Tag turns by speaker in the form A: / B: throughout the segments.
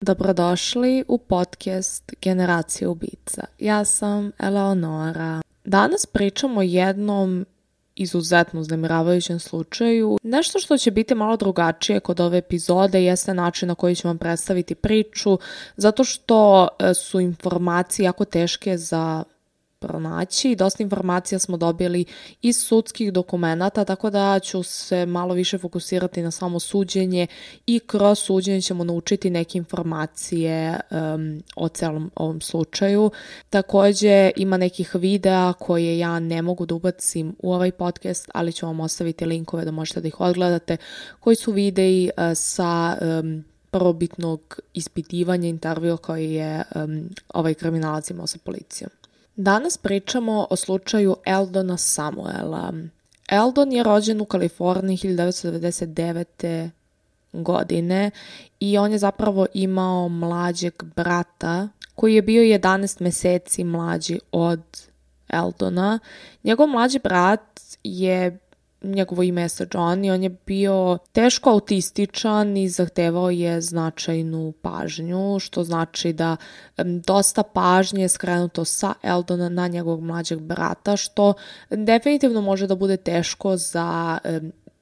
A: Dobrodošli u podcast Generacije ubica. Ja sam Eleonora. Danas pričamo o jednom izuzetno uznemiravajućem slučaju. Nešto što će biti malo drugačije kod ove epizode jeste način na koji ću vam predstaviti priču, zato što su informacije jako teške za pronaći. Dosta informacija smo dobili iz sudskih dokumenata, tako da ću se malo više fokusirati na samo suđenje i kroz suđenje ćemo naučiti neke informacije o celom ovom slučaju. Također ima nekih videa koje ja ne mogu da ubacim u ovaj podcast, ali ću vam ostaviti linkove da možete da ih odgledate, koji su videi sa prvobitnog ispitivanja intervjua koji je ovaj kriminalac imao sa policijom. Danas pričamo o slučaju Eldona Samuela. Eldon je rođen u Kaliforniji 1999. godine i on je zapravo imao mlađeg brata koji je bio 11 meseci mlađi od Eldona. Njegov mlađi brat njegovo ime je John i on je bio teško autističan i zahtevao je značajnu pažnju, što znači da dosta pažnje je skrenuto sa Eldona na njegovog mlađeg brata, što definitivno može da bude teško za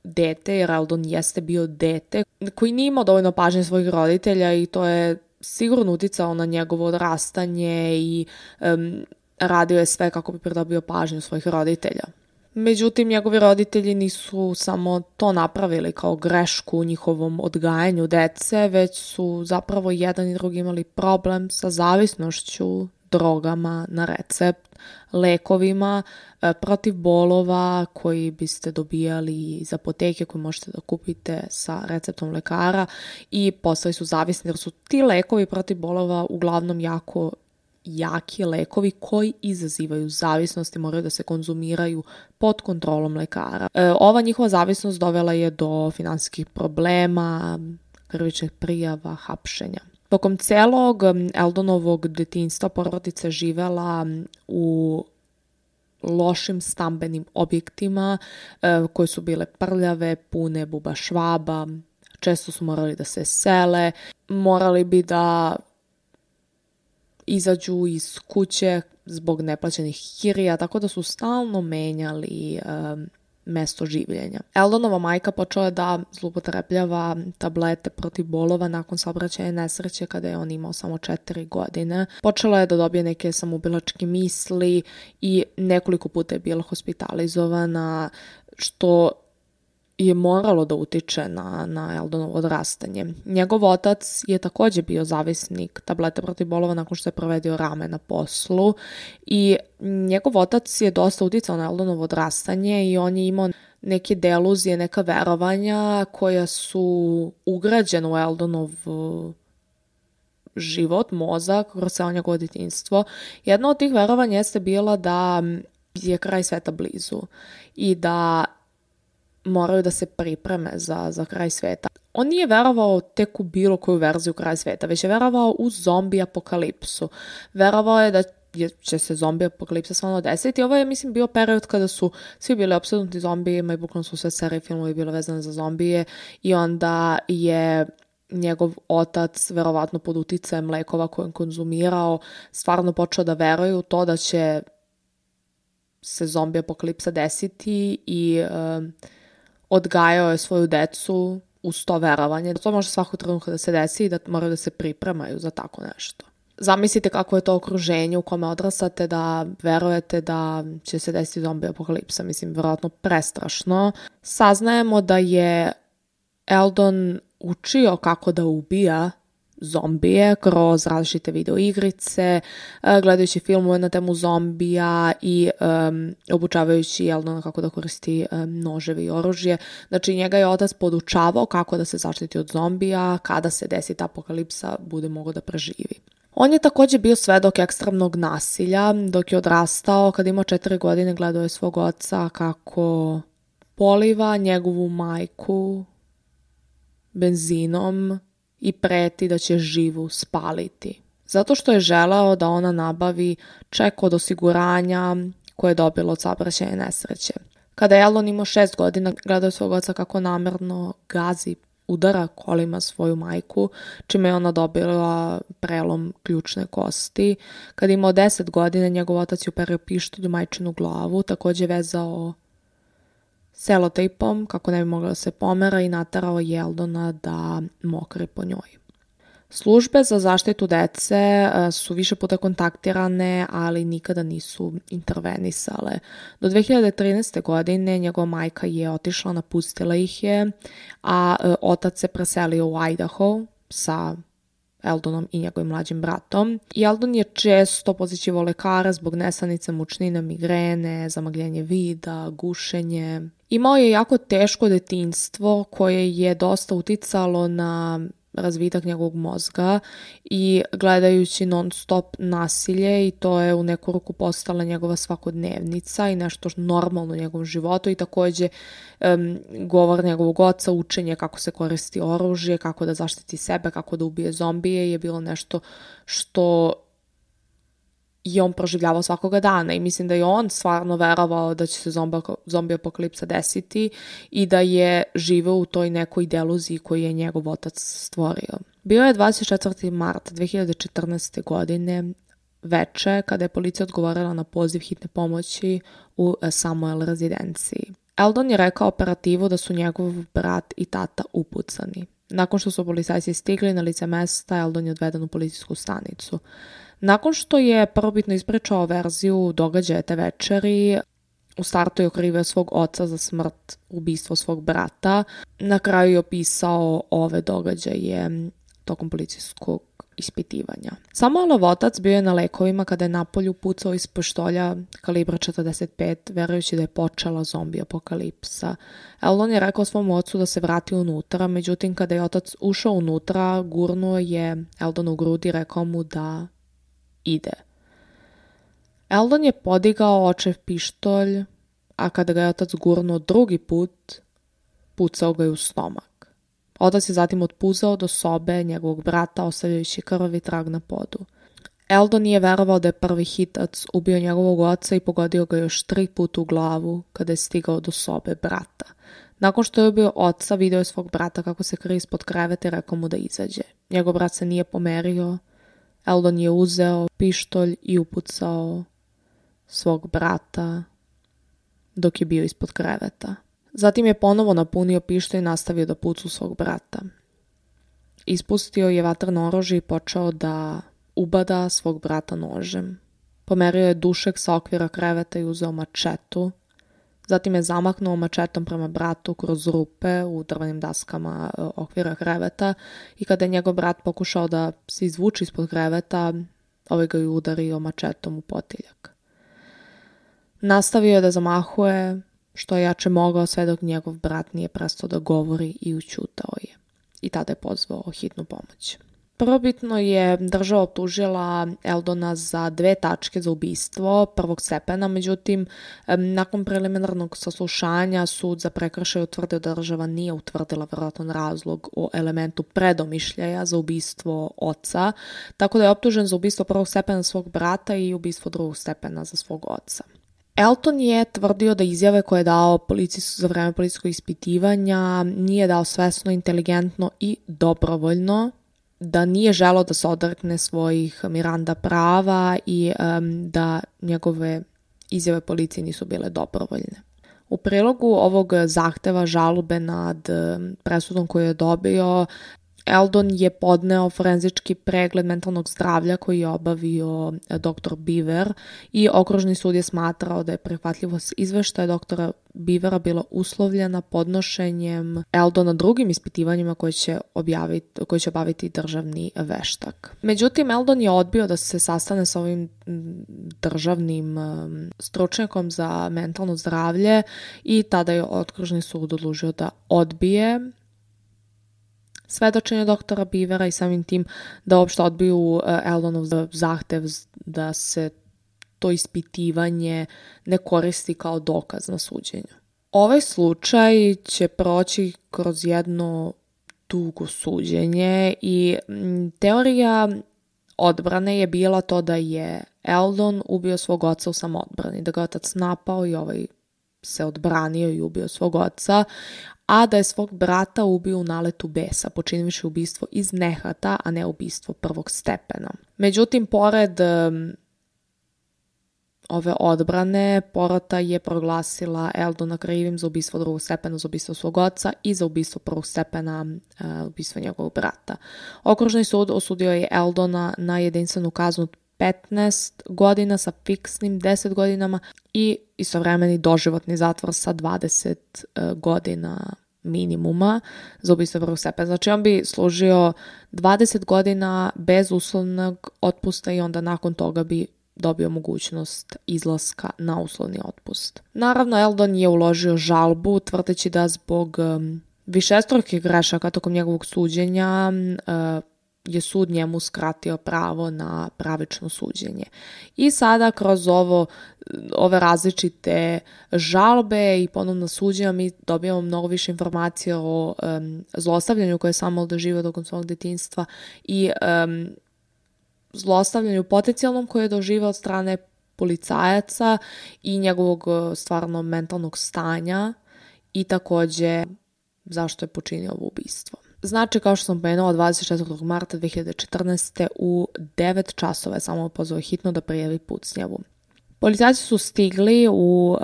A: dete, jer Eldon jeste bio dete koji nije imao dovoljno pažnje svojih roditelja i to je sigurno uticao na njegovo odrastanje i radio je sve kako bi pridobio pažnju svojih roditelja. Međutim, njegovi roditelji nisu samo to napravili kao grešku u njihovom odgajanju dece, već su zapravo jedan i drugi imali problem sa zavisnošću, drogama na recept, lekovima protiv bolova koji biste dobijali iz apoteke koje možete da kupite sa receptom lekara i postali su zavisni jer su ti lekovi protiv bolova uglavnom jako jaki lekovi koji izazivaju zavisnost i moraju da se konzumiraju pod kontrolom lekara. Ova njihova zavisnost dovela je do finansijskih problema, krivičnih prijava, hapšenja. Tokom celog Eldonovog detinjstva porodica živela u lošim stambenim objektima koje su bile prljave, pune buba švaba, često su morali da se sele, morali bi da izađu iz kuće zbog neplaćenih kirija, tako da su stalno menjali mesto življenja. Eldonova majka počela je da zloupotrebljava tablete protiv bolova nakon saobraćajne nesreće kada je on imao samo 4 godine. Počela je da dobije neke samoubilačke misli i nekoliko puta je bila hospitalizovana, što je moralo da utiče na Eldonovo odrastanje. Njegov otac je također bio zavisnik tablete protiv bolova nakon što je provedio rame na poslu i njegov otac je dosta uticao na Eldonovo odrastanje i on je imao neke deluzije, neka verovanja koja su ugrađena u Eldonov život, mozak, kroz celo njegovo detinjstvo. Jedna od tih verovanja jeste bila da je kraj sveta blizu i da moraju da se pripreme za kraj sveta. On nije verovao tek u bilo koju verziju kraja sveta, već je verovao u zombi apokalipsu. Verovao je da će se zombi apokalipsa stvarno desiti. Ovo je, mislim, bio period kada su svi bili opsednuti zombijima i bukvalno su sve serije filmovi bile vezane za zombije i onda je njegov otac, verovatno pod uticajem lekova koje je konzumirao, stvarno počeo da veruje u to da će se zombi apokalipsa desiti i odgajao je svoju decu uz to verovanje. To može svakog trenutka da se desi i da moraju da se pripremaju za tako nešto. Zamislite kako je to okruženje u kome odrastate da verujete da će se desiti zombi apokalipsa. Mislim, vjerojatno prestrašno. Saznajemo da je Eldon učio kako da ubija zombije kroz različite videoigrice, gledajući filmove na temu zombija i obučavajući Eldona kako da koristi noževi i oružje. Znači, njega je otac podučavao kako da se zaštiti od zombija, kada se desi ta apokalipsa, bude mogao da preživi. On je također bio svedok ekstremnog nasilja dok je odrastao. Kad imao 4 godine gledao je svog oca kako poliva njegovu majku benzinom i preti da će živu spaliti. Zato što je želeo da ona nabavi ček od osiguranja koje je dobilo od saobraćajne nesreće. Kada je Eldon imao 6 godina, gledao je svog oca kako namerno gazi udara kolima svoju majku, čime je ona dobila prelom ključne kosti. Kad je imao 10 godina, njegov otac je uperio pištolj u majčinu glavu, takođe vezao selotejpom kako ne bi mogla da se pomera i naterao je Eldona da mokri po njoj. Službe za zaštitu dece su više puta kontaktirane, ali nikada nisu intervenisale. Do 2013. godine njegova majka je otišla, napustila ih je, a otac se preselio u Idaho sa Eldonom i njegovim mlađim bratom. I Eldon je često posjećivao lekara zbog nesanice, mučnine, migrene, zamagljenje vida, gušenje. Imao je jako teško detinjstvo koje je dosta uticalo na razvitak njegovog mozga i gledajući non stop nasilje, i to je u neku ruku postala njegova svakodnevnica i nešto normalno u njegovom životu, i takođe govor njegovog oca, učenje kako se koristi oružje, kako da zaštiti sebe, kako da ubije zombije je bilo nešto što je on proživljavao svakoga dana, i mislim da je on stvarno verovao da će se zombi apokalipsa desiti i da je živeo u toj nekoj deluziji koju je njegov otac stvorio. Bio je 24. marta 2014. godine veče kada je policija odgovorila na poziv hitne pomoći u Samuel rezidenciji. Eldon je rekao operativu da su njegov brat i tata upucani. Nakon što su policajci stigli na lice mesta, Eldon je odveden u policijsku stanicu. Nakon što je prvobitno ispričao verziju događaja te večeri, u startu je okrivio svog oca za smrt, ubistvo svog brata. Na kraju je opisao ove događaje tokom policijskog ispitivanja. Samuelov otac bio je na lekovima kada je napolju pucao iz pištolja kalibra 45, verujući da je počela zombi apokalipsa. Eldon je rekao svom ocu da se vrati unutra, međutim kada je otac ušao unutra, gurnuo je Eldon u grudi i rekao mu da ide. Eldon je podigao očev pištolj, a kada ga je otac gurnuo drugi put, pucao ga je u stomak. Otac je zatim otpuzao do sobe njegovog brata, ostavljajući krvavi trag na podu. Eldon nije verovao da je prvi hitac ubio njegovog oca i pogodio ga još 3 puta u glavu kada je stigao do sobe brata. Nakon što je ubio oca, video je svog brata kako se krije ispod kreveta i rekao mu da izađe. Njegov brat se nije pomerio. Eldon je uzeo pištolj i upucao svog brata dok je bio ispod kreveta. Zatim je ponovo napunio pištolj i nastavio da puca u svog brata. Ispustio je vatreno oružje i počeo da ubada svog brata nožem. Pomerio je dušek sa okvira kreveta i uzeo mačetu. Zatim je zamaknuo mačetom prema bratu kroz rupe u drvenim daskama okvira kreveta, i kada je njegov brat pokušao da se izvuči ispod kreveta, ovaj ga je udario mačetom u potiljak. Nastavio je da zamahuje što je jače mogao sve dok njegov brat nije prestao da govori i ućutao je. I tada je pozvao hitnu pomoć. Prvobitno je država optužila Eldona za 2 tačke za ubistvo prvog stepena, međutim, nakon preliminarnog saslušanja sud za prekršaj utvrdio da država nije utvrdila verovatan razlog o elementu predomišljaja za ubistvo oca, tako da je optužen za ubistvo prvog stepena svog brata i ubistvo drugog stepena za svog oca. Elton je tvrdio da izjave koje je dao za vreme policijskog ispitivanja nije dao svesno, inteligentno i dobrovoljno, da nije želeo da se odrekne svojih Miranda prava i da njegove izjave policiji nisu bile dobrovoljne. U prilogu ovog zahteva žalbe nad presudom koju je dobio, Eldon je podneo forenzički pregled mentalnog zdravlja koji je obavio dr. Beaver i okružni sud je smatrao da je prihvatljivost izveštaja dr. Beavera bila uslovljena podnošenjem Eldona drugim ispitivanjima koje će obaviti državni veštak. Međutim, Eldon je odbio da se sastane sa ovim državnim stručnjakom za mentalno zdravlje i tada je okružni sud odlučio da odbije svedočenje doktora Beavera i samim tim da uopšte odbiju Eldonov zahtev da se to ispitivanje ne koristi kao dokaz na suđenju. Ovaj slučaj će proći kroz jedno dugo suđenje i teorija odbrane je bila to da je Eldon ubio svog oca u samoodbrani, da ga otac napao i ovaj se odbranio i ubio svog oca, a da je svog brata ubio u naletu besa, počinivši ubistvo iz nehata, a ne ubistvo prvog stepena. Međutim, pored ove odbrane, porota je proglasila Eldona krivim za ubistvo drugog stepena, za ubistvo svog oca i za ubistvo prvog stepena, ubistvo njegovog brata. Okružni sud osudio je Eldona na jedinstvenu kaznu 15 godina sa fiksnim 10 godinama i istovremeni doživotni zatvor sa 20 godina minimuma za ubistvo prvog stepena. Znači on bi služio 20 godina bez uslovnog otpusta i onda nakon toga bi dobio mogućnost izlaska na uslovni otpust. Naravno, Eldon je uložio žalbu tvrdeći da zbog višestrukih grešaka tokom njegovog suđenja je sud njemu skratio pravo na pravično suđenje. I sada kroz ove različite žalbe i ponovno suđenja mi dobijamo mnogo više informacija o zlostavljanju koje je Samuel doživio tokom svog detinjstva i zlostavljanju potencijalnom koje je doživio od strane policajaca i njegovog stvarno mentalnog stanja i takođe zašto je počinio ovo ubistvo. Znači, kao što sam pomenula, 24. marta 2014. u 9 časova je samo pozvao hitno da prijavi pucnjavu. Policajci su stigli u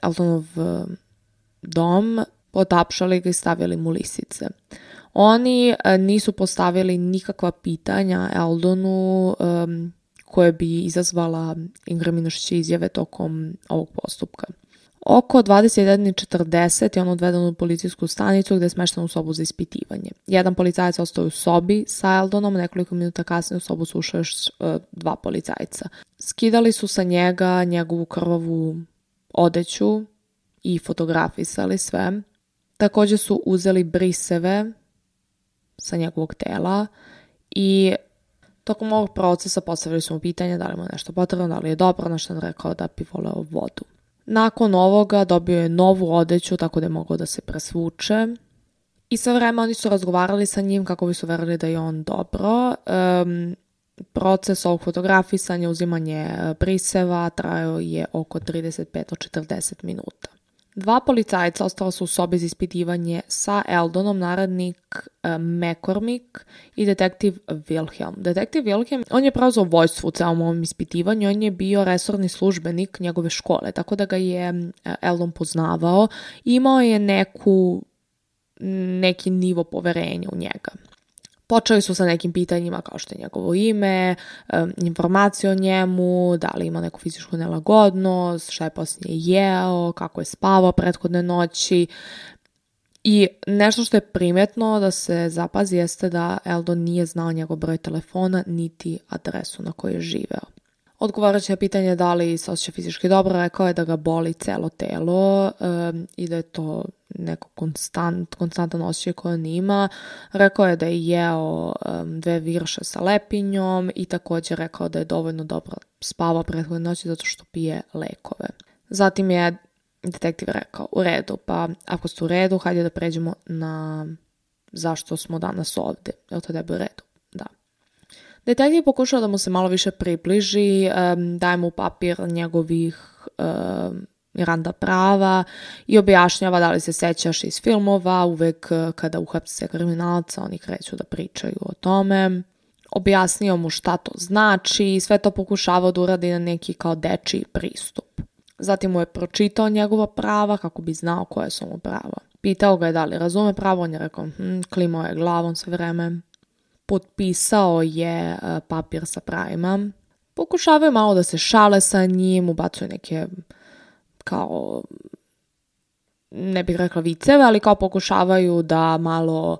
A: Eldonov dom, potapšali ga i stavili mu lisice. Oni nisu postavili nikakva pitanja Eldonu koje bi izazvala inkriminašće izjave tokom ovog postupka. Oko 21:40 je on odveden u policijsku stanicu gde je smešten u sobu za ispitivanje. Jedan policajac ostao u sobi sa Eldonom, nekoliko minuta kasnije u sobu su ušli još 2 policajca. Skidali su sa njega njegovu krvavu odeću i fotografisali sve. Takođe su uzeli briseve sa njegovog tela i tokom ovog procesa postavili su mu pitanje da li mu je nešto potrebno, da li je dobro, na što je rekao da bi voleo vodu. Nakon ovoga dobio je novu odeću tako da je mogao da se presvuče i sve vreme oni su razgovarali sa njim kako bi su verili da je on dobro. Proces ovog fotografisanja, uzimanje briseva trajao je oko 35 do 40 minuta. 2 policajca ostala su u sobi za ispitivanje sa Eldonom, narednik McCormick i detektiv Wilhelm. Detektiv Wilhelm, on je preuzeo vođstvo u celom ovom ispitivanju, on je bio resorni službenik njegove škole, tako da ga je Eldon poznavao i imao je neki nivo poverenja u njega. Počeli su sa nekim pitanjima kao što je njegovo ime, informacije o njemu, da li ima neku fizičku nelagodnost, šta je posljednje jeo, kako je spavao prethodne noći. I nešto što je primetno da se zapazi jeste da Eldon nije znao njegov broj telefona niti adresu na kojoj je živeo. Odgovarajući na pitanje da li se osjeća fizički dobro, rekao je da ga boli celo telo i da je to neko konstantan osjećaj koje on ima. Rekao je da je jeo 2 virše sa lepinjom i također rekao da je dovoljno dobro spavao prethodne noći zato što pije lekove. Zatim je detektiv rekao, u redu, pa ako ste u redu, hajde da pređemo na zašto smo danas ovde. Je li to tebi u redu? Da. Detektiv pokušao da mu se malo više približi, daje mu papir njegovih Miranda prava i objašnjava da li se sećaš iz filmova, uvek kada uhapse kriminalca oni kreću da pričaju o tome. Objasnio mu šta to znači i sve to pokušavao da uradi na neki kao dečiji pristup. Zatim mu je pročitao njegova prava kako bi znao koje su mu prava. Pitao ga je da li razume pravo, on je rekao klimao je glavom sve vreme. Potpisao je papir sa pravima. Pokušavaju malo da se šale sa njim, ubacuju neke kao, ne bih rekla viceve, ali kao pokušavaju da malo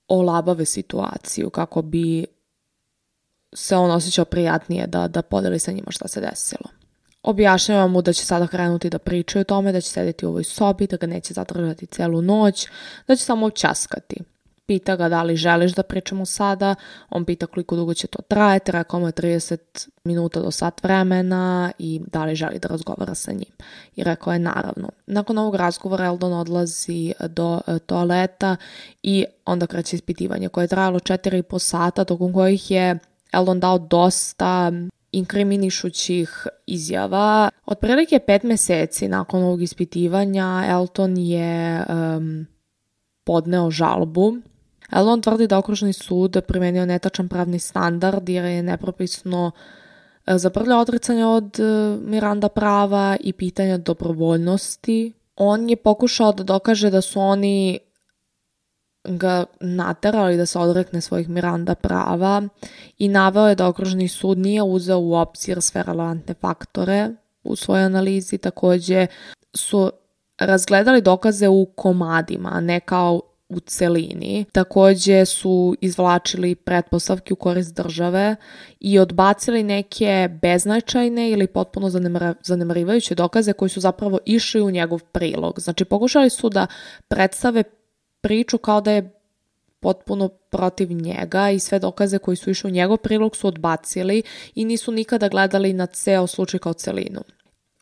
A: olabave situaciju kako bi se on osjećao prijatnije da podeli sa njima šta se desilo. Objašnjava mu da će sada krenuti da pričaju o tome, da će sedeti u ovoj sobi, da ga neće zadržati celu noć, da će samo časkati. Pita ga da li želiš da pričamo sada, on pita koliko dugo će to trajati, rekao mu je 30 minuta do sat vremena i da li želi da razgovara sa njim. I rekao je naravno. Nakon ovog razgovora Eldon odlazi do toaleta i onda kreće ispitivanje koje je trajalo 4,5 sata, tokom kojih je Eldon dao dosta inkriminišućih izjava. Otprilike 5 meseci nakon ovog ispitivanja Elton je podneo žalbu. Elton tvrdi da okružni sud primenio netačan pravni standard jer je nepropisno zabrljao odricanje od Miranda prava i pitanja dobrovoljnosti. On je pokušao da dokaže da su oni ga naterali da se odrekne svojih Miranda prava i naveo je da okružni sud nije uzeo u obzir sve relevantne faktore u svojoj analizi. Također su razgledali dokaze u komadima, a ne kao u celini. Također su izvlačili pretpostavke u korist države i odbacili neke beznačajne ili potpuno zanemarivajuće dokaze koji su zapravo išli u njegov prilog. Znači, pokušali su da predstave priču kao da je potpuno protiv njega i sve dokaze koji su išli u njegov prilog su odbacili i nisu nikada gledali na ceo slučaj kao celinu.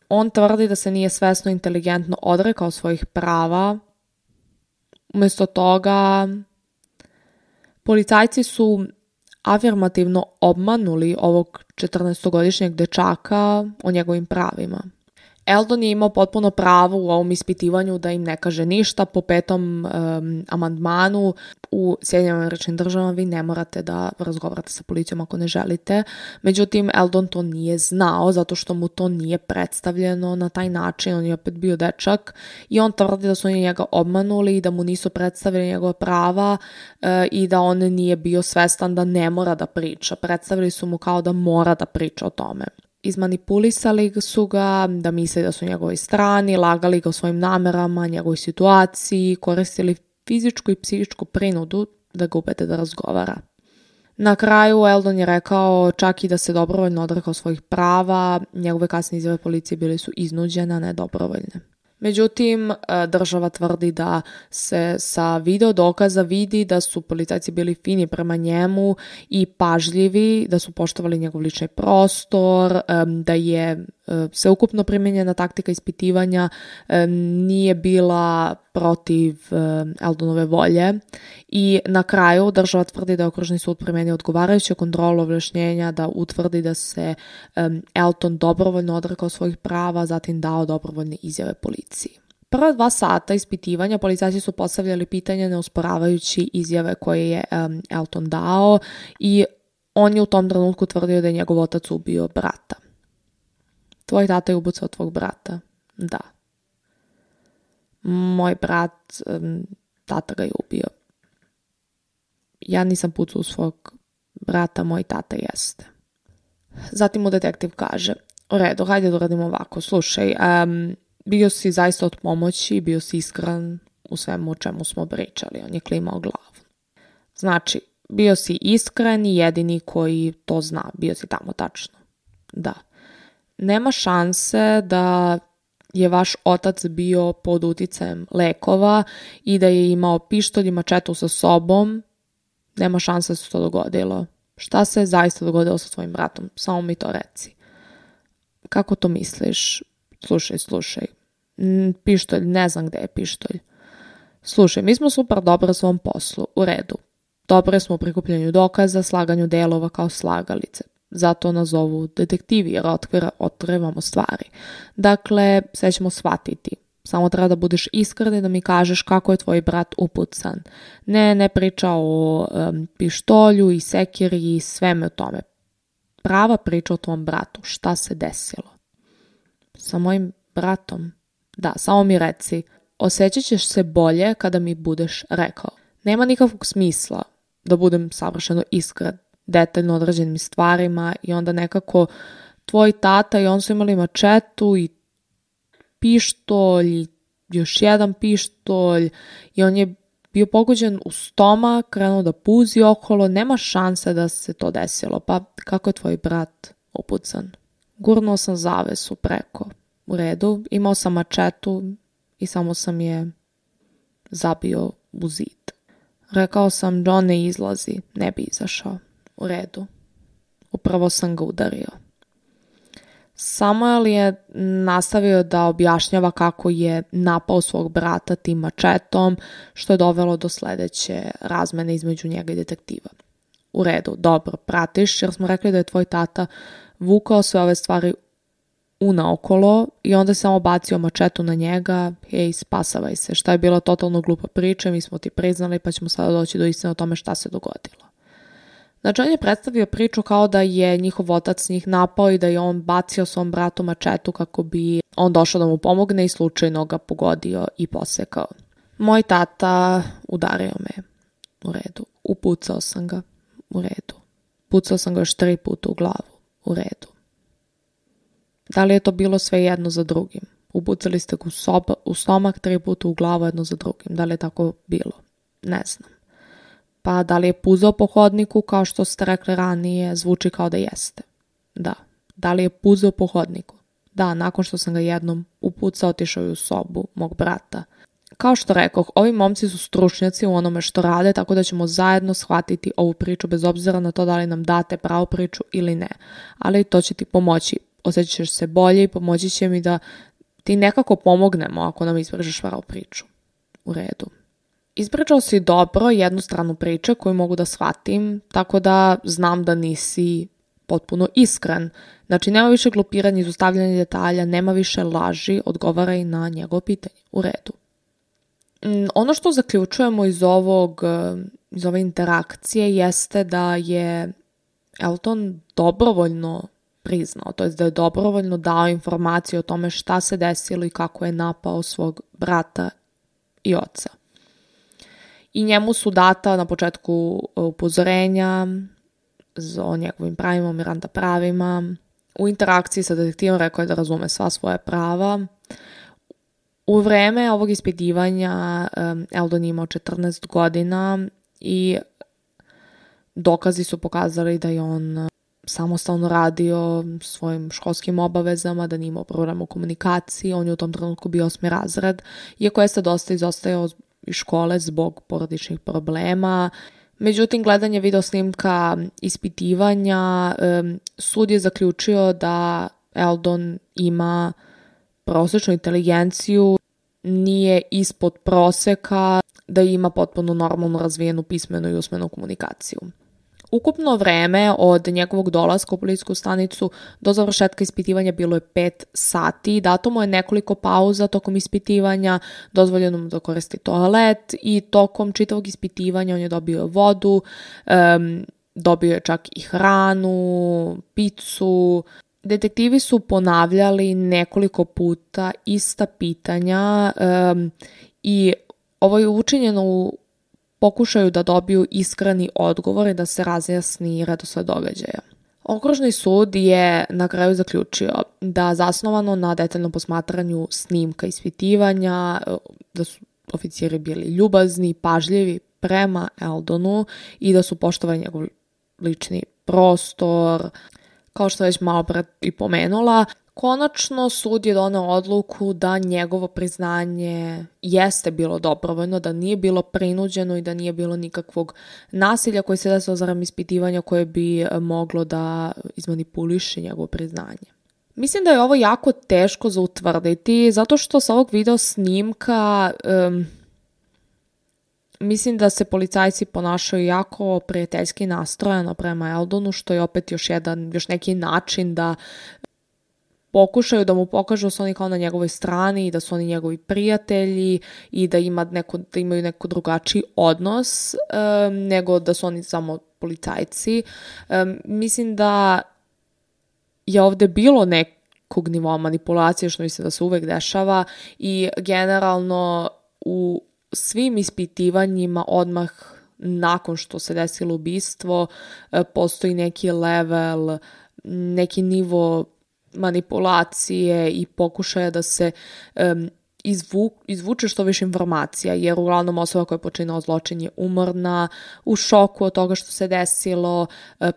A: On tvrdi da se nije svesno inteligentno odrekao svojih prava. Umjesto toga, policajci su afirmativno obmanuli ovog 14-godišnjeg dečaka o njegovim pravima. Eldon je imao potpuno pravo u ovom ispitivanju da im ne kaže ništa. Po 5. amandmanu u Sjedinjenim Američkim Državama vi ne morate da razgovarate sa policijom ako ne želite. Međutim, Eldon to nije znao zato što mu to nije predstavljeno na taj način. On je opet bio dečak i on tvrdi da su oni njega obmanuli i da mu nisu predstavili njegova prava i da on nije bio svestan da ne mora da priča. Predstavili su mu kao da mora da priča o tome. Izmanipulisali su ga da misle da su njegovoj strani, lagali ga o svojim namerama, njegovoj situaciji, koristili fizičku i psihičku prinudu da ga ubede da razgovara. Na kraju Eldon je rekao čak i da se dobrovoljno odrekao svojih prava, njegove kasne izjave policije bile su iznuđene, a ne dobrovoljne. Međutim, država tvrdi da se sa video dokaza vidi da su policajci bili fini prema njemu i pažljivi, da su poštovali njegov lični prostor, da je sveukupno primijenjena taktika ispitivanja nije bila protiv Eldonove volje i na kraju država tvrdi da je okružni sud primenio odgovarajuću kontrolu objašnjenja da utvrdi da se Elton dobrovoljno odrekao svojih prava, zatim dao dobrovoljne izjave policiji. Prva 2 sata ispitivanja policajci su postavljali pitanja neosporavajući izjave koje je Elton dao i on je u tom trenutku tvrdio da je njegov otac ubio brata. Tvoj tata je ubucao tvog brata? Da. Moj brat, tata ga je ubio. Ja nisam pucao u svog brata, moj tata jeste. Zatim mu detektiv kaže, u redu, hajde da uradimo ovako, slušaj, bio si zaista od pomoći, bio si iskren u svemu o čemu smo pričali, on je klimao glavu. Znači, bio si iskren i jedini koji to zna, bio si tamo tačno. Da. Nema šanse da je vaš otac bio pod uticajem lekova i da je imao pištolj i mačetu sa sobom. Nema šanse da se to dogodilo. Šta se zaista dogodilo sa tvojim bratom? Samo mi to reci. Kako to misliš? Slušaj. Pištolj, ne znam gde je pištolj. Slušaj, mi smo super dobro u svom poslu. U redu. Dobre smo u prikupljanju dokaza, slaganju delova kao slagalice. Zato nas zovu detektivi jer otkrivamo stvari. Dakle, sve ćemo shvatiti. Samo treba da budeš iskren i da mi kažeš kako je tvoj brat upucan. Ne priča o pištolju i sekiri i sveme o tome. Prava priča o tvom bratu. Šta se desilo? Sa mojim bratom? Da, samo mi reci. Osjećat ćeš se bolje kada mi budeš rekao. Nema nikakvog smisla da budem savršeno iskren detaljno određenim stvarima i onda nekako tvoj tata i on su imali mačetu i pištolj i još jedan pištolj i on je bio pogođen u stomak, krenuo da puzi okolo, nema šanse da se to desilo. Pa kako je tvoj brat upucan? Gurnuo sam zavesu preko. U redu, imao sam mačetu i samo sam je zabio u zid. Rekao sam, John ne izlazi, ne bi izašao. U redu. Upravo sam ga udario. Samuel je nastavio da objašnjava kako je napao svog brata tim mačetom, što je dovelo do sledeće razmene između njega i detektiva. U redu, dobro, pratiš, jer smo rekli da je tvoj tata vukao sve ove stvari unaokolo i onda samo bacio mačetu na njega, hej, spasavaj se. Šta je bila totalno glupa priča, mi smo ti priznali pa ćemo sada doći do istine o tome šta se dogodilo. Znači, on je predstavio priču kao da je njihov otac njih napao i da je on bacio svom bratu mačetu kako bi on došao da mu pomogne i slučajno ga pogodio i posekao. Moj tata udario me. U redu. Upucao sam ga. U redu. Pucao sam ga još 3 puta u glavu. U redu. Da li je to bilo sve jedno za drugim? Upucali ste ga u stomak 3 puta u glavu jedno za drugim. Da li je tako bilo? Ne znam. Pa da li je puzao po hodniku kao što ste rekli ranije? Zvuči kao da jeste. Da. Da li je puzao po hodniku? Da, nakon što sam ga jednom upucao, otišao je u sobu mog brata. Kao što rekoh, ovi momci su stručnjaci u onome što rade, tako da ćemo zajedno shvatiti ovu priču bez obzira na to da li nam date pravu priču ili ne. Ali to će ti pomoći. Osjećat ćeš se bolje i pomoći će mi da ti nekako pomognemo ako nam ispričaš pravu priču. U redu. Ispričao si dobro jednu stranu priče koju mogu da shvatim, tako da znam da nisi potpuno iskren. Znači, nema više glupiranja, izostavljanja detalja, nema više laži, odgovaraj na njegovo pitanje. U redu. Ono što zaključujemo iz ove interakcije jeste da je Elton dobrovoljno priznao, to jest da je dobrovoljno dao informacije o tome šta se desilo i kako je napao svog brata i oca. I njemu su data na početku upozorenja o njegovim pravima, Miranda pravima. U interakciji sa detektivom rekao je da razume sva svoja prava. U vreme ovog ispitivanja Eldon je imao 14 godina i dokazi su pokazali da je on samostalno radio svojim školskim obavezama, da nije imao problem u komunikaciji. On je u tom trenutku bio 8. razred, iako je se dosta izostajao iz škole zbog porodičnih problema. Međutim, gledanje video snimka ispitivanja, sud je zaključio da Eldon ima prosječnu inteligenciju, nije ispod proseka, da ima potpuno normalno razvijenu pismenu i usmenu komunikaciju. Ukupno vreme od njegovog dolaska u policijsku stanicu do završetka ispitivanja bilo je 5 sati. Dato mu je nekoliko pauza tokom ispitivanja, dozvoljeno mu da koristi toalet i tokom čitavog ispitivanja on je dobio vodu, dobio je čak i hranu, picu. Detektivi su ponavljali nekoliko puta ista pitanja i ovo je učinjeno u pokušaju da dobiju iskreni odgovor i da se razjasni redosled događaja. Okružni sud je na kraju zaključio da zasnovano na detaljnom posmatranju snimka ispitivanja, da su oficiri bili ljubazni, pažljivi prema Eldonu i da su poštovali njegov lični prostor. Kao što već malo pre i pomenula, konačno sud je doneo odluku da njegovo priznanje jeste bilo dobrovoljno, da nije bilo prinuđeno i da nije bilo nikakvog nasilja koje se desilo za vreme ispitivanja koje bi moglo da izmanipuliše njegovo priznanje. Mislim da je ovo jako teško za utvrditi, zato što sa ovog video snimka mislim da se policajci ponašaju jako prijateljski nastrojeno prema Eldonu, što je opet još neki način da pokušaju da mu pokažu da su oni kao na njegovoj strani i da su oni njegovi prijatelji i da imaju neko drugačiji odnos nego da su oni samo policajci. Mislim da je ovde bilo nekog nivoa manipulacije, što mislim da se uvek dešava i generalno u svim ispitivanjima odmah nakon što se desilo ubistvo postoji neki level, neki nivo manipulacije i pokušaja da se izvuče što više informacija, jer uglavnom osoba koja je počinila zločin je umorna, u šoku od toga što se desilo,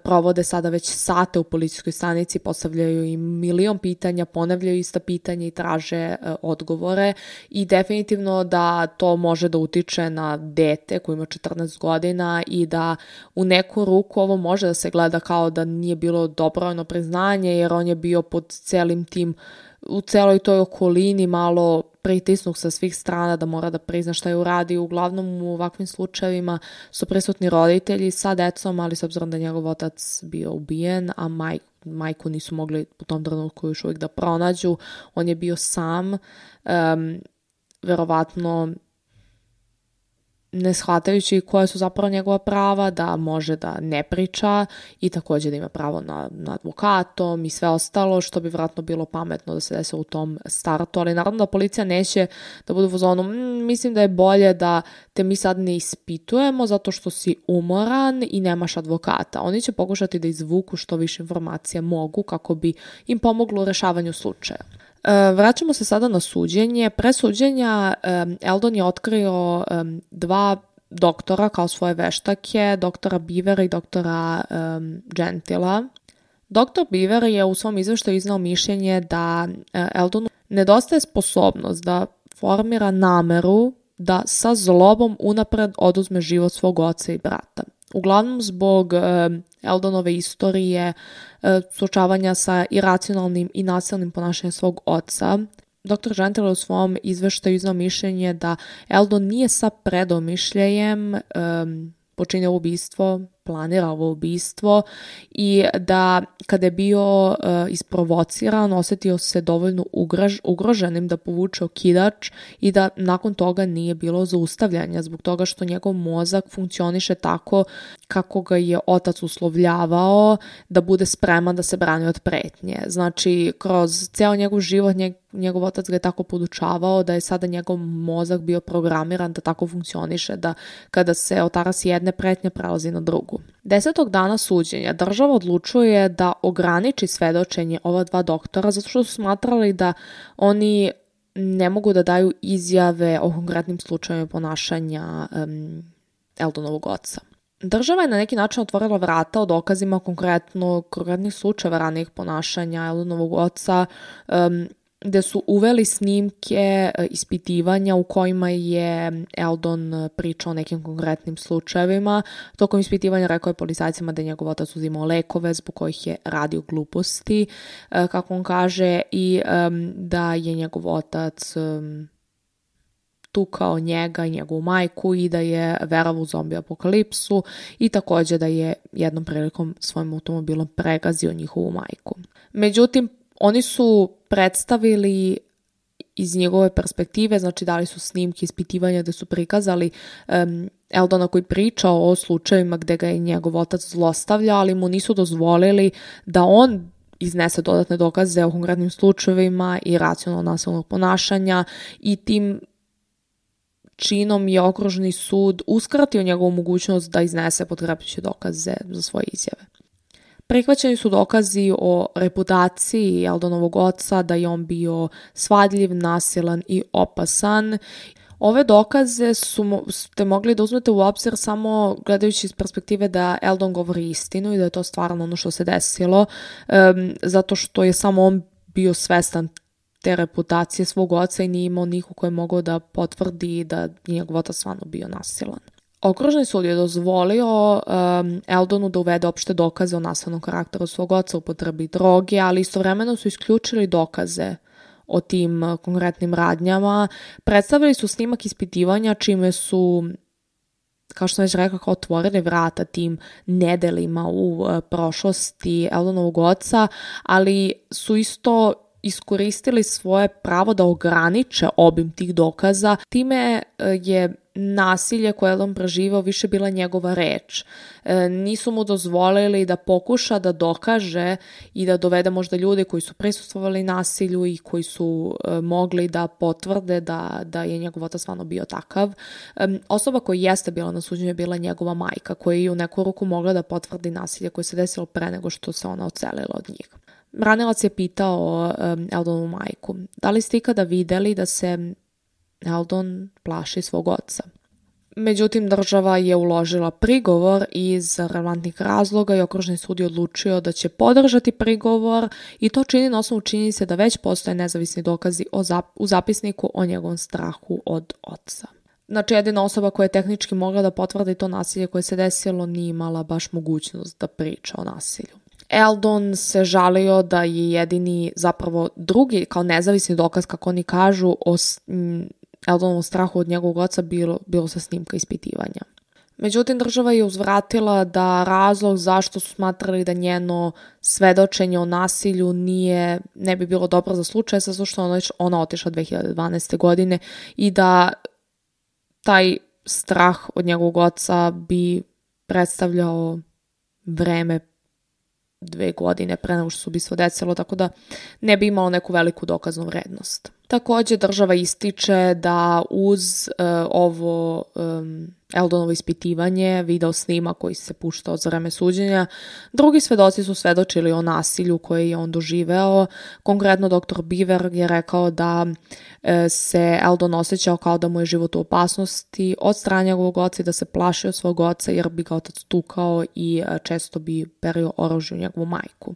A: provode sada već sate u policijskoj stanici, postavljaju im milion pitanja, ponavljaju ista pitanja i traže odgovore i definitivno da to može da utiče na dete koji ima 14 godina i da u neku ruku ovo može da se gleda kao da nije bilo dobrovoljno priznanje, jer on je bio pod celim tim, u celoj toj okolini malo pritisnut sa svih strana da mora da prizna šta je uradio. Uglavnom u ovakvim slučajevima su prisutni roditelji sa decom, ali s obzirom da je njegov otac bio ubijen, a majku nisu mogli u tom trenutku još uvijek da pronađu. On je bio sam, verovatno ne shvatajući koje su zapravo njegova prava, da može da ne priča i također da ima pravo na advokatom i sve ostalo, što bi vjerojatno bilo pametno da se desi u tom startu, ali naravno da policija neće da bude u fazonu, mislim da je bolje da te mi sad ne ispitujemo zato što si umoran i nemaš advokata. Oni će pokušati da izvuku što više informacija mogu kako bi im pomoglo u rešavanju slučaja. Vraćamo se sada na suđenje. Pre suđenja Eldon je otkrio dva doktora kao svoje veštake, doktora Beavera i doktora Gentila. Doktor Beaver je u svom izveštaju iznao mišljenje da Eldonu nedostaje sposobnost da formira nameru da sa zlobom unapred oduzme život svog oca i brata. Uglavnom zbog Eldonove istorije, suočavanja sa iracionalnim i nasilnim ponašanjem svog oca, dr. Gentil u svom izveštaju iznao mišljenje da Eldon nije sa predomišljajem počinio ubistvo, planira ovo ubistvo i da kada je bio isprovociran, osjetio se dovoljno ugroženim da povuče okidač i da nakon toga nije bilo zaustavljanja zbog toga što njegov mozak funkcioniše tako kako ga je otac uslovljavao da bude spreman da se brani od pretnje. Znači, kroz ceo njegov život njegov otac ga je tako podučavao da je sada njegov mozak bio programiran da tako funkcioniše, da kada se otarasi jedne pretnje prelazi na drugu. 10. dana suđenja država odlučuje da ograniči svedočenje ova dva doktora zato što su smatrali da oni ne mogu da daju izjave o konkretnim slučajevima ponašanja Eldonovog oca. Država je na neki način otvorila vrata o dokazima konkretnih slučajeva ranijih ponašanja Eldonovog oca, gde su uveli snimke ispitivanja u kojima je Eldon pričao o nekim konkretnim slučajevima. Tokom ispitivanja rekao je policajcima da je njegov otac uzimao lekove zbog kojih je radio gluposti, kako on kaže, i da je njegov otac tukao njega i njegovu majku i da je verovao u zombi apokalipsu i također da je jednom prilikom svojim automobilom pregazio njihovu majku. Međutim, oni su predstavili iz njegove perspektive, znači dali su snimke ispitivanja gde su prikazali Eldona koji pričao o slučajevima gde ga je njegov otac zlostavljao, ali mu nisu dozvolili da on iznese dodatne dokaze o konkretnim slučajevima i racionalno nasilnog ponašanja i tim činom je okružni sud uskratio njegovu mogućnost da iznese potkrepljujuće dokaze za svoje izjave. Prihvaćeni su dokazi o reputaciji Eldonovog oca, da je on bio svadljiv, nasilan i opasan. Ove dokaze ste mogli da uzmete u obzir samo gledajući iz perspektive da Eldon govori istinu i da je to stvarno ono što se desilo, zato što je samo on bio svestan te reputacije svog oca i nije imao niko koji je mogao da potvrdi da je njegov otac stvarno bio nasilan. Okružni sud je dozvolio Eldonu da uvede opšte dokaze o nasilnom karakteru svog oca, upotrebi droge, ali istovremeno su isključili dokaze o tim konkretnim radnjama. Predstavili su snimak ispitivanja čime su, kao što sam već rekla, otvorili vrata tim nedelima u prošlosti Eldonovog oca, ali su isto iskoristili svoje pravo da ograniče obim tih dokaza. Time je nasilje koje je on preživao više bila njegova reč. Nisu mu dozvolili da pokuša da dokaže i da dovede možda ljude koji su prisustvovali nasilju i koji su mogli da potvrde da je njegov otac stvarno bio takav. Osoba koja jeste bila na suđenju je bila njegova majka, koja je u neku ruku mogla da potvrdi nasilje koje se desilo pre nego što se ona odselila od njih. Branilac je pitao Eldonovu majku: da li ste ikada videli da se Eldon plaši svog oca? Međutim, država je uložila prigovor iz relevantnih razloga i okružni sud je odlučio da će podržati prigovor i to čini na osnovu činjenice da već postoje nezavisni dokazi u zapisniku o njegovom strahu od oca. Znači, jedina osoba koja je tehnički mogla da potvrdi to nasilje koje se desilo nije imala baš mogućnost da priča o nasilju. Eldon se žalio da je jedini, zapravo drugi, kao nezavisni dokaz, kako oni kažu, o Eldonovom strahu od njegovog oca bilo sa snimka ispitivanja. Međutim, država je uzvratila da razlog zašto su smatrali da njeno svedočenje o nasilju ne bi bilo dobro za slučaj, zato što ona otišla 2012. godine i da taj strah od njegovog oca bi predstavljao vreme 2 godine pre nego što se ubistvo desilo, tako da ne bi imalo neku veliku dokaznu vrednost. Takođe, država ističe da uz ovo Eldonovo ispitivanje, video snima koji se puštao za vreme suđenja, drugi svedoci su svedočili o nasilju koje je on doživeo. Konkretno, dr. Beaver je rekao da se Eldon osjećao kao da mu je život u opasnosti od strane njegovog oca i da se plašio svog oca jer bi ga otac tukao i često bi perio oružje u njegovu majku.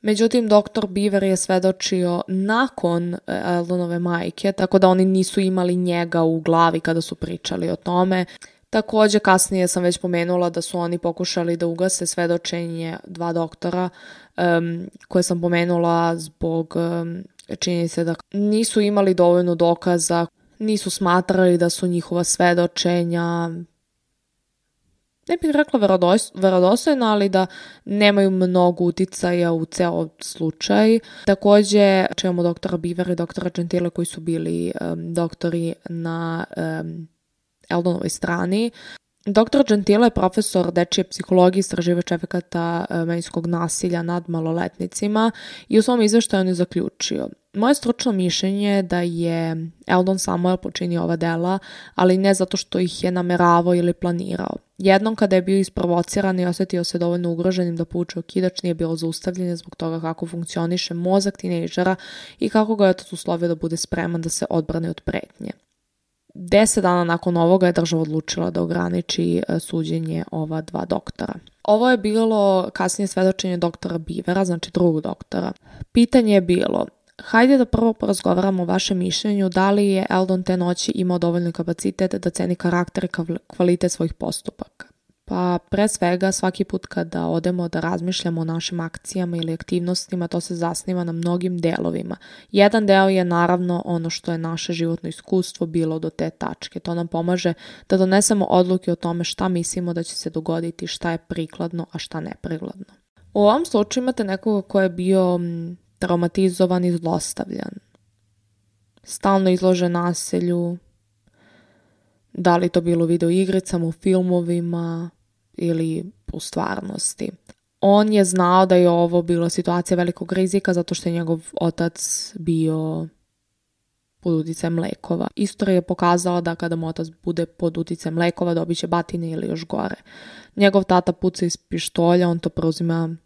A: Međutim, dr. Beaver je svedočio nakon Eldonove majke, tako da oni nisu imali njega u glavi kada su pričali o tome. Takođe, kasnije sam već pomenula da su oni pokušali da ugase svedočenje 2 doktora koje sam pomenula zbog činjenice da nisu imali dovoljno dokaza, nisu smatrali da su njihova svedočenja, ne bih rekla verodostojna, ali da nemaju mnogo uticaja u ceo slučaj. Takođe, čujemo doktora Beavera i doktora Gentile koji su bili doktori na Eldonovoj strani. Dr. Gentile je profesor dečije psihologije i istraživač efekata medijskog nasilja nad maloletnicima i u svom izveštaju on je zaključio: moje stručno mišljenje je da je Eldon Samuel počinio ova dela, ali ne zato što ih je nameravao ili planirao. Jednom kada je bio isprovociran i osjetio se dovoljno ugroženim da povuče okidač, nije bilo zaustavljanje zbog toga kako funkcioniše mozak tinejdžera i kako ga je otac uslovio da bude spreman da se odbrane od pretnje. 10 dana nakon ovoga je država odlučila da ograniči suđenje ova 2 doktora. Ovo je bilo kasnije svedočenje doktora Beavera, znači drugog doktora. Pitanje je bilo: hajde da prvo porazgovaramo o vašem mišljenju da li je Eldon te noći imao dovoljni kapacitet da ceni karakter i kvalitet svojih postupaka. Pa pre svega svaki put kada odemo da razmišljamo o našim akcijama ili aktivnostima, to se zasniva na mnogim delovima. Jedan deo je naravno ono što je naše životno iskustvo bilo do te tačke. To nam pomaže da donesemo odluke o tome šta mislimo da će se dogoditi, šta je prikladno, a šta neprikladno. U ovom slučaju imate nekoga ko je bio traumatizovan i zlostavljan, stalno izložen nasilju, da li to bilo u videoigricama, u filmovima ili u stvarnosti. On je znao da je ovo bila situacija velikog rizika zato što je njegov otac bio pod uticajem lekova. Istorija je pokazala da kada mu otac bude pod uticajem lekova dobit će batine ili još gore. Njegov tata puca iz pištolja, on to preuzima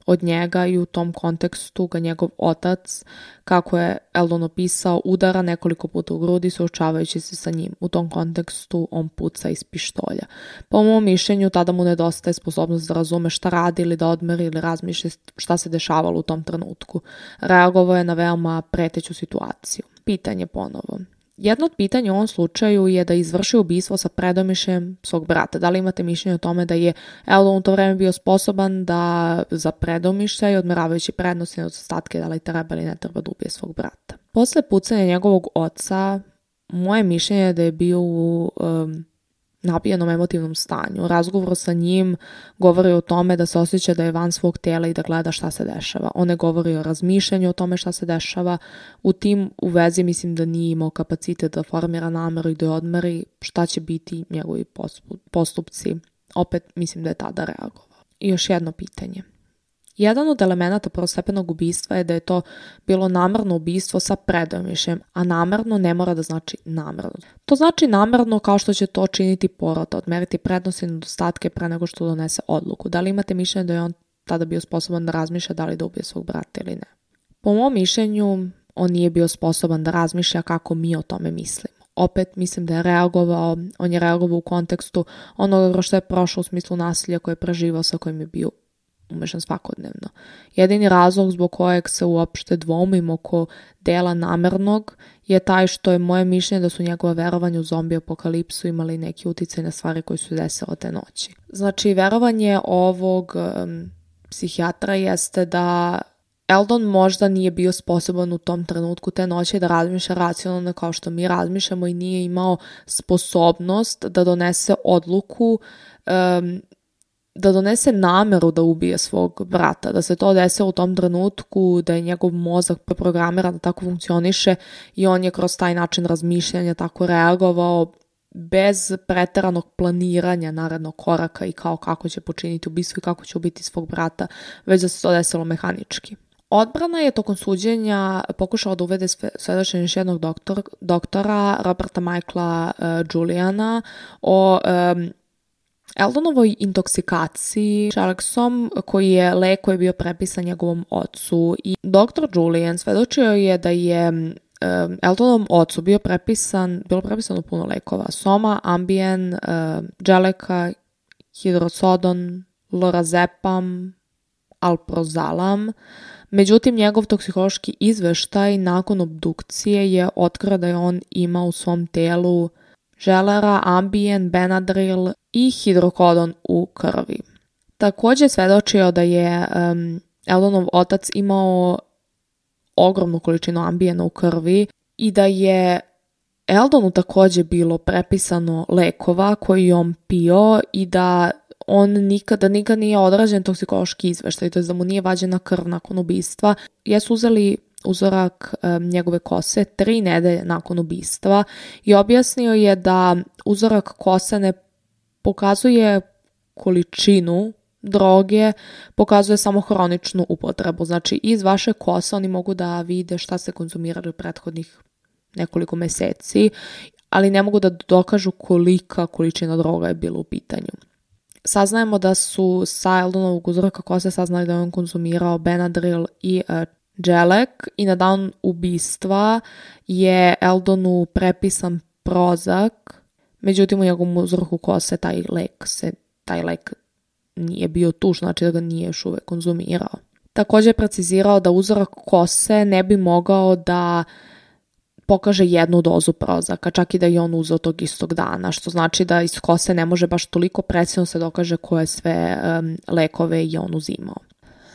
A: od njega i u tom kontekstu ga njegov otac, kako je Eldon opisao, udara nekoliko puta u grudi suočavajući se sa njim. U tom kontekstu on puca iz pištolja. Po mom mišljenju tada mu nedostaje sposobnost da razume šta radi ili da odmeri ili razmišlja šta se dešavalo u tom trenutku. Reagovao je na veoma preteću situaciju. Pitanje ponovo. Jedno od pitanja u ovom slučaju je da izvrši ubistvo sa predomišljajem svog brata. Da li imate mišljenje o tome da je Eldon u to vreme bio sposoban da za predomišljaj, odmeravajući prednosti nedostatke, da li treba ili ne treba da ubije svog brata? Posle pucanja njegovog oca, moje mišljenje je da je bio u napijenom emotivnom stanju. Razgovor sa njim govori o tome da se osjeća da je van svog tela i da gleda šta se dešava. On ne govori o razmišljanju o tome šta se dešava. U vezi mislim da nije imao kapacitet da formira nameru i da odmeri šta će biti njegovi postupci. Opet mislim da je tada reagovao. I još jedno pitanje. Jedan od elemenata prvostepenog ubistva je da je to bilo namerno ubistvo sa predomišljajem, a namerno ne mora da znači namerno. To znači namerno kao što će to činiti porota, odmeriti prednosti i nedostatke pre nego što donese odluku. Da li imate mišljenje da je on tada bio sposoban da razmišlja da li da ubije svog brata ili ne? Po mom mišljenju, on nije bio sposoban da razmišlja kako mi o tome mislimo. Opet mislim da je reagovao, on je reagovao u kontekstu onoga što je prošlo u smislu nasilja koje je preživao, sa kojim je bio umešan svakodnevno. Jedini razlog zbog kojeg se uopšte dvomim oko dela namernog je taj što je moje mišljenje da su njegova verovanja u zombi apokalipsu imali neki uticaj na stvari koje su desile te noći. Znači, verovanje ovog psihijatra jeste da Eldon možda nije bio sposoban u tom trenutku te noći da razmišlja racionalno kao što mi razmišljamo i nije imao sposobnost da donese odluku, da donese nameru da ubije svog brata, da se to desilo u tom trenutku, da je njegov mozak preprogramiran da tako funkcioniše i on je kroz taj način razmišljanja tako reagovao bez preteranog planiranja narednog koraka i kao kako će počiniti ubistvo i kako će ubiti svog brata, već da se to desilo mehanički. Odbrana je tokom suđenja pokušala da uvede svedočenje još jednog doktora, Roberta Michaela Juliana, o Eldonovoj intoksikaciji Čeleksom, koji je lek koji je bio prepisan njegovom ocu. I dr. Julian svedočio je da je Eldonovom ocu bilo prepisano puno lekova. Soma, Ambien, Dželeka, Hidrosodon, Lorazepam, Alprozalam. Međutim, njegov toksikološki izveštaj nakon obdukcije je otkrio da je on imao u svom telu želera, Ambien, Benadryl i hidrokodon u krvi. Također svedočio da je Eldonov otac imao ogromnu količinu Ambiena u krvi i da je Eldonu također bilo prepisano lekova koji je on pio i da on nikada nije odrađen toksikološki izveštaj, to je da mu nije vađena krv nakon ubistva. Jesu uzeli uzorak njegove kose 3 nedelje nakon ubistva i objasnio je da uzorak kose ne pokazuje količinu droge, pokazuje samo hroničnu upotrebu. Znači, iz vaše kose oni mogu da vide šta ste konzumirali u prethodnih nekoliko meseci, ali ne mogu da dokažu kolika količina droga je bila u pitanju. Saznajemo da su sa Eldonovog uzorka kose saznali da je on konzumirao Benadryl i Dželek i na dan ubistva je Eldonu prepisan Prozac, međutim u njegovom uzorku kose taj lek nije bio tu, znači da ga nije još uvek konzumirao. Također je precizirao da uzorak kose ne bi mogao da pokaže jednu dozu Prozacka, čak i da je on uzeo tog istog dana, što znači da iz kose ne može baš toliko precizno se dokaže koje sve lekove je on uzimao.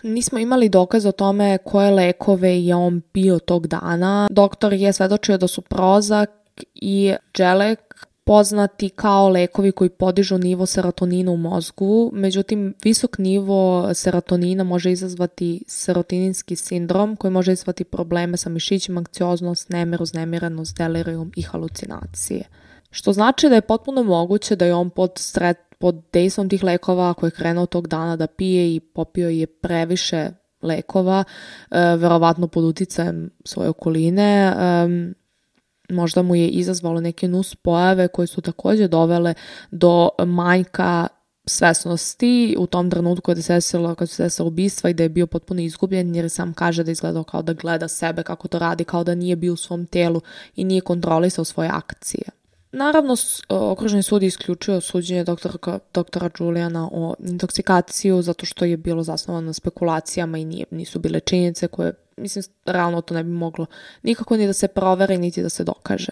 A: Nismo imali dokaz o tome koje lekove je on pio tog dana. Doktor je svedočio da su Prozac i Dželek poznati kao lekovi koji podižu nivo serotonina u mozgu, međutim visok nivo serotonina može izazvati serotoninski sindrom koji može izazvati probleme sa mišićima, anksioznost, nemir, uznemirenost, delirium i halucinacije. Što znači da je potpuno moguće da je on pod dejstvom tih lekova koji je krenuo tog dana da pije i popio je previše lekova, verovatno pod uticajem svoje okoline, možda mu je izazvalo neke nuspojave koje su također dovele do manjka svesnosti u tom trenutku kad se desilo ubistva i da je bio potpuno izgubljen, jer sam kaže da izgledao kao da gleda sebe kako to radi, kao da nije bio u svom telu i nije kontrolisao svoje akcije. Naravno, okružni sud je isključio suđenje doktora Juliana o intoksikaciju zato što je bilo zasnovano na spekulacijama i nisu bile činjenice koje, mislim, realno to ne bi moglo nikako ni da se proveri, niti da se dokaže.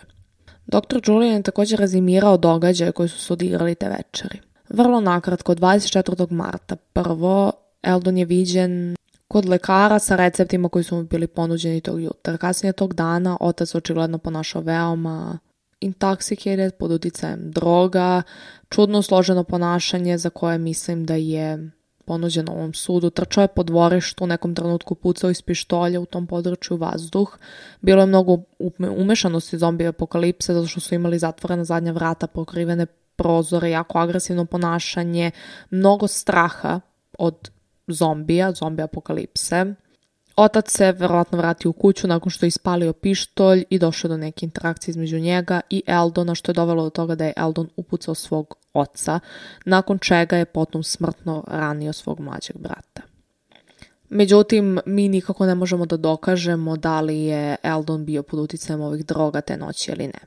A: Dr. Julian je također rezimirao događaje koji su se odigrali te večeri. Vrlo nakratko, 24. marta prvo, Eldon je viđen kod lekara sa receptima koji su mu bili ponuđeni tog jutra. Kasnije tog dana otac očigledno ponašao veoma intoxicated, pod uticajem droga, čudno složeno ponašanje za koje mislim da je ponuđeno ovom sudu. Trčao je po dvorištu, u nekom trenutku pucao iz pištolja u tom području vazduh. Bilo je mnogo umešanosti zombi apokalipse zato što su imali zatvorena zadnja vrata, pokrivene prozore, jako agresivno ponašanje, mnogo straha od zombi apokalipse. Otac se verovatno vratio u kuću nakon što je ispalio pištolj i došao do neke interakcije između njega i Eldona, što je dovelo do toga da je Eldon upucao svog oca, nakon čega je potom smrtno ranio svog mlađeg brata. Međutim, mi nikako ne možemo da dokažemo da li je Eldon bio pod uticajem ovih droga te noći ili ne.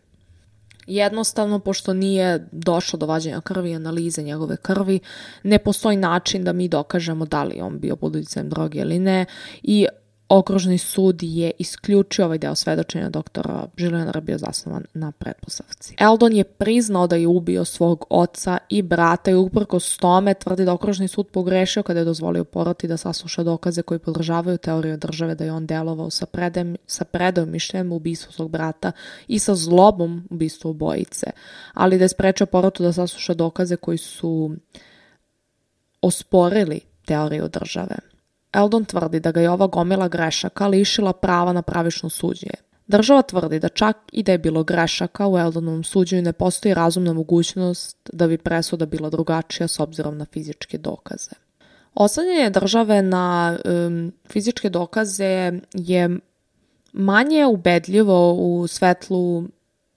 A: Jednostavno, pošto nije došlo do vađenja krvi i analize njegove krvi, ne postoji način da mi dokažemo da li on bio pod uticajem droge ili ne i Okružni sud je isključio ovaj deo svedočenja doktora Žilinara bio zasnovan na pretpostavci. Eldon je priznao da je ubio svog oca i brata i uprkos tome tvrdi da okružni sud pogrešio kada je dozvolio poroti da sasluša dokaze koji podržavaju teoriju države da je on delovao sa predajom mišljenjem u ubistvu svog brata i sa zlobom ubistvu obojice, ali da je sprečio porotu da sasluša dokaze koji su osporili teoriju države. Eldon tvrdi da ga je ova gomila grešaka lišila prava na pravično suđenje. Država tvrdi da čak i da je bilo grešaka u Eldonovom suđenju ne postoji razumna mogućnost da bi presuda bila drugačija s obzirom na fizičke dokaze. Oslanjanje države na fizičke dokaze je manje ubedljivo u svetlu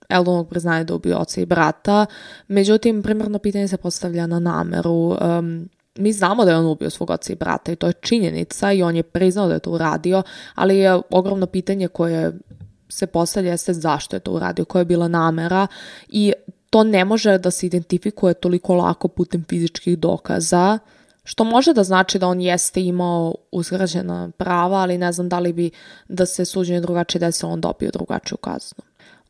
A: Eldonovog priznanja da ubio oca i brata, međutim, primarno pitanje se postavlja na nameru. Mi znamo da je on ubio svog oca i brata i to je činjenica i on je priznao da je to uradio, ali je ogromno pitanje koje se postavlja jeste zašto je to uradio, koja je bila namera i to ne može da se identifikuje toliko lako putem fizičkih dokaza, što može da znači da on jeste imao uskraćena prava, ali ne znam da li bi da se suđenje drugačije desilo on dobio drugačiju kaznu.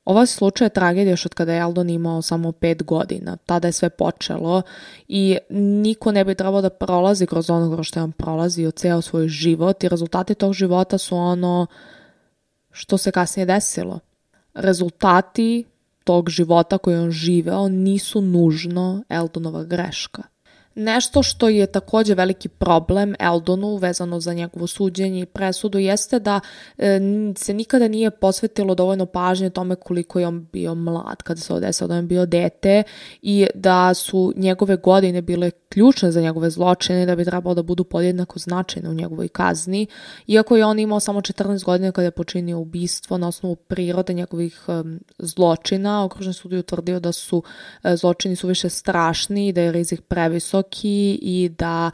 A: Ovaj slučaj je tragedija još od kada je Eldon imao samo 5 godina. Tada je sve počelo i niko ne bi trebao da prolazi kroz ono kroz što je on prolazio ceo svoj život i rezultati tog života su ono što se kasnije desilo. Rezultati tog života koji on živeo nisu nužno Eldonova greška. Nešto što je također veliki problem Eldonu vezano za njegovo suđenje i presudu jeste da se nikada nije posvetilo dovoljno pažnje tome koliko je on bio mlad kada se desilo da je on bio dete i da su njegove godine bile ključne za njegove zločine i da bi trebalo da budu podjednako značajne u njegovoj kazni. Iako je on imao samo 14 godina kada je počinio ubistvo na osnovu prirode njegovih zločina, okružni sud je utvrdio da su zločini suviše strašni i da je rizik previsok i da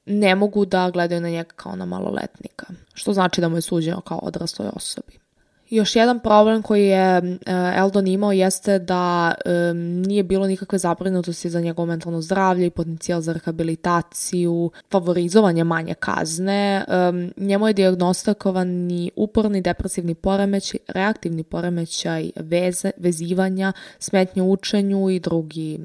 A: ne mogu da gledaju na njega kao na maloletnika, što znači da mu je suđeno kao odrasloj osobi. Još jedan problem koji je Eldon imao jeste da nije bilo nikakve zabrinutosti za njegovo mentalno zdravlje i potencijal za rehabilitaciju, favorizovanje manje kazne. Njemu je dijagnostikovani uporni depresivni poremećaj, reaktivni poremećaj vezivanja, smetnje u učenju i drugi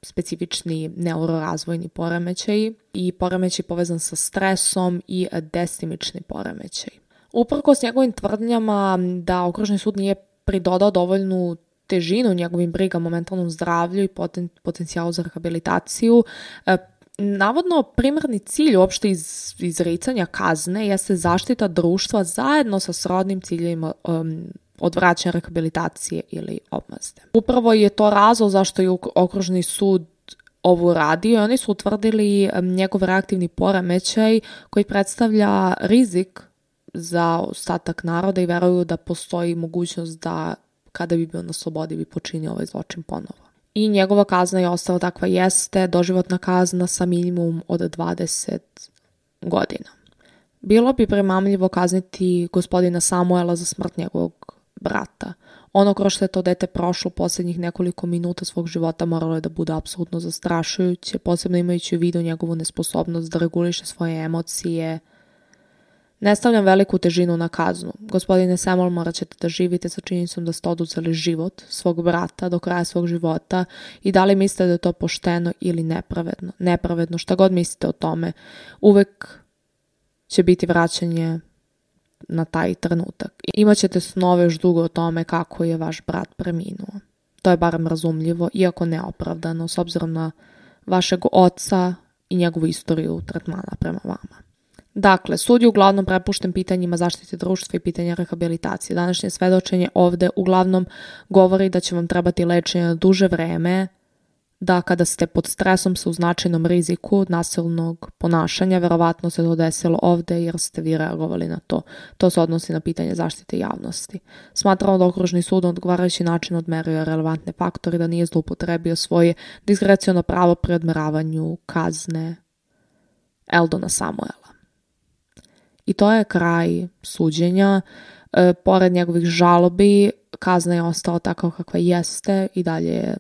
A: specifični neurorazvojni poremećaj i poremećaj povezan sa stresom i destimični poremećaj. Uprkos njegovim tvrdnjama da okružni sud nije pridodao dovoljnu težinu njegovim brigama o mentalnom zdravlju i potencijalu za rehabilitaciju, navodno primarni cilj uopšte izricanja kazne jeste zaštita društva zajedno sa srodnim ciljevima odvraćanja, rehabilitacije ili odmazde. Upravo je to razlog zašto je okružni sud ovo radio i oni su utvrdili njegov reaktivni poremećaj koji predstavlja rizik za ostatak naroda i veruju da postoji mogućnost da kada bi bio na slobodi bi počinio ovaj zločin ponovo. I njegova kazna je ostala takva jeste, doživotna kazna sa minimum od 20 godina. Bilo bi premamljivo kazniti gospodina Samuela za smrt njegovog brata. Ono kroz što je to dete prošlo posljednjih nekoliko minuta svog života moralo je da bude apsolutno zastrašujuće, posebno imajući u vidu njegovu nesposobnost da reguliše svoje emocije. Ne stavljam veliku težinu na kaznu. Gospodine Samuel, morat ćete da živite sa činjenicom da ste oduzeli život svog brata do kraja svog života i da li mislite da je to pošteno ili nepravedno. Nepravedno, šta god mislite o tome, uvek će biti vraćanje na taj trenutak. Imaćete snove još dugo o tome kako je vaš brat preminuo. To je barem razumljivo, iako neopravdano, s obzirom na vašeg oca i njegovu istoriju tretmana prema vama. Dakle, sud je uglavnom prepušten pitanjima zaštite društva i pitanja rehabilitacije. Današnje svedočenje ovde uglavnom govori da će vam trebati lečenje na duže vreme, da kada ste pod stresom sa u značajnom riziku od nasilnog ponašanja, verovatno se to desilo ovde jer ste vi reagovali na to. To se odnosi na pitanje zaštite javnosti. Smatramo da okružni sud na odgovarajući način odmerio relevantne faktore, da nije zloupotrebio svoje diskreciono pravo pri odmeravanju kazne Eldona Samuela. I to je kraj suđenja. Pored njegovih žalobi, kazna je ostala takva kakva jeste i dalje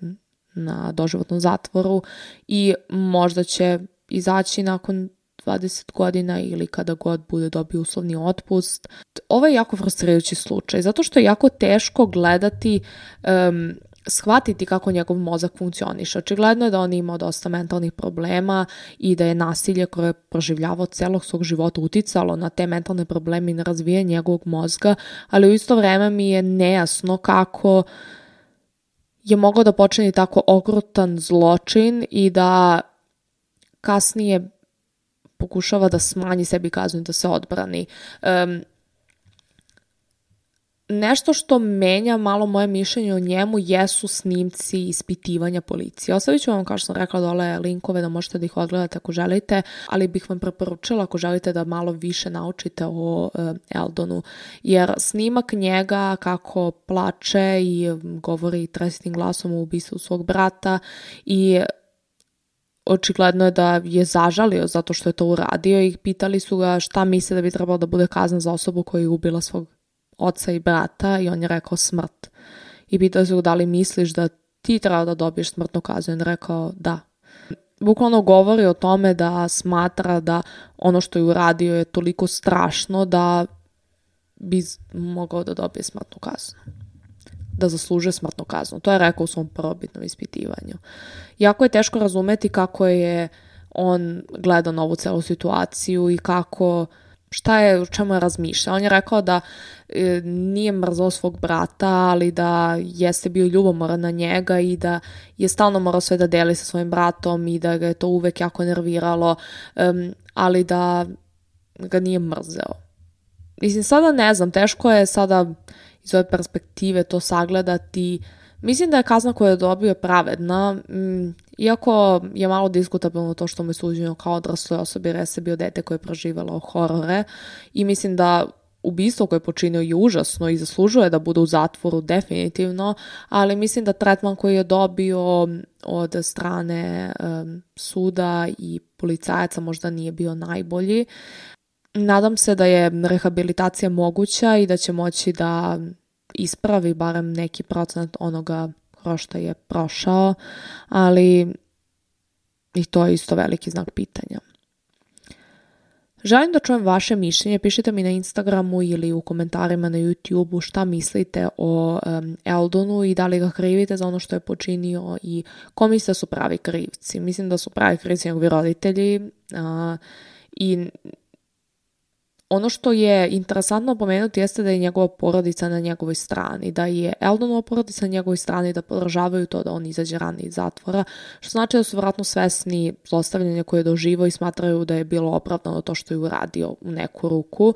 A: na doživotnom zatvoru i možda će izaći nakon 20 godina ili kada god bude dobio uslovni otpust. Ovo je jako frustrirajući slučaj, zato što je jako teško gledati, shvatiti kako njegov mozak funkcioniše. Očigledno je da on imao dosta mentalnih problema i da je nasilje koje je proživljavao celog svog života uticalo na te mentalne probleme i na razvijanje njegovog mozga, ali u isto vreme mi je nejasno kako je mogao da počini tako okrutan zločin i da kasnije pokušava da smanji sebi kaznu i da se odbrani. Nešto što menja malo moje mišljenje o njemu jesu snimci ispitivanja policije. Ostavit ću vam, kao što sam rekla, dole linkove da možete da ih odgledate ako želite, ali bih vam preporučila ako želite da malo više naučite o Eldonu, jer snimak njega kako plače i govori tresitim glasom o ubistvu svog brata i očigledno je da je zažalio zato što je to uradio i pitali su ga šta misle da bi trebalo da bude kazna za osobu koja je ubila svog oca i brata i on je rekao smrt. I pitao se da li misliš da ti treba da dobiješ smrtnu kaznu. I on je rekao da. Bukvalno govori o tome da smatra da ono što je uradio je toliko strašno da bi mogao da dobije smrtnu kaznu. Da zaslužuje smrtnu kaznu. To je rekao u svom prvobitnom ispitivanju. Jako je teško razumeti kako je on gledao na ovu celu situaciju i u čemu je razmišljao. On je rekao da nije mrzao svog brata, ali da jeste bio ljubomoran na njega i da je stalno morao sve da deli sa svojim bratom i da ga je to uvek jako nerviralo, ali da ga nije mrzeo. Mislim, sada ne znam, teško je sada iz ove perspektive to sagledati. Mislim da je kazna koju je dobio pravedna, iako je malo diskutabilno to što mu je suđeno kao odrasloj osobi, jer je bio dete koje je proživalo horore i mislim da ubistvo koje je počinio je užasno i zaslužuje da bude u zatvoru definitivno, ali mislim da tretman koji je dobio od strane suda i policajaca možda nije bio najbolji. Nadam se da je rehabilitacija moguća i da će moći da ispravi barem neki procenat onoga kroz što je prošao, ali i to je isto veliki znak pitanja. Želim da čujem vaše mišljenje, pišite mi na Instagramu ili u komentarima na YouTubeu šta mislite o Eldonu i da li ga krivite za ono što je počinio i ko mislite da su pravi krivci. Mislim da su pravi krivci njegovi roditelji i ono što je interesantno pomenuti jeste da je njegova porodica na njegovoj strani, da je Eldonova porodica na njegovoj strani, da podržavaju to da on izađe ranije iz zatvora, što znači da su vjerojatno svesni zlostavljanja koje je doživao i smatraju da je bilo opravdano to što je uradio u neku ruku.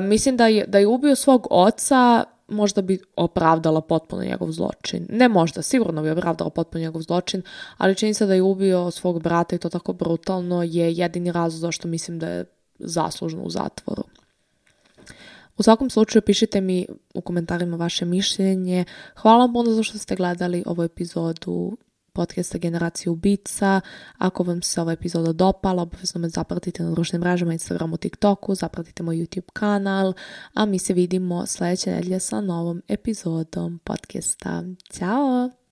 A: Mislim da je ubio svog oca, možda bi opravdala potpuno njegov zločin. Ne možda, sigurno bi opravdala potpuno njegov zločin, ali čini se da je ubio svog brata i to tako brutalno je jedini razlog zašto mislim da je zaslužno u zatvoru. U svakom slučaju pišite mi u komentarima vaše mišljenje. Hvala vam puno za što ste gledali ovu epizodu podcasta Generacija ubica. Ako vam se ova epizoda dopala, obavezno me zapratite na društvenim mrežama, Instagramu, TikToku, zapratite moj YouTube kanal, a mi se vidimo sljedeće nedelje sa novom epizodom podcasta. Ćao!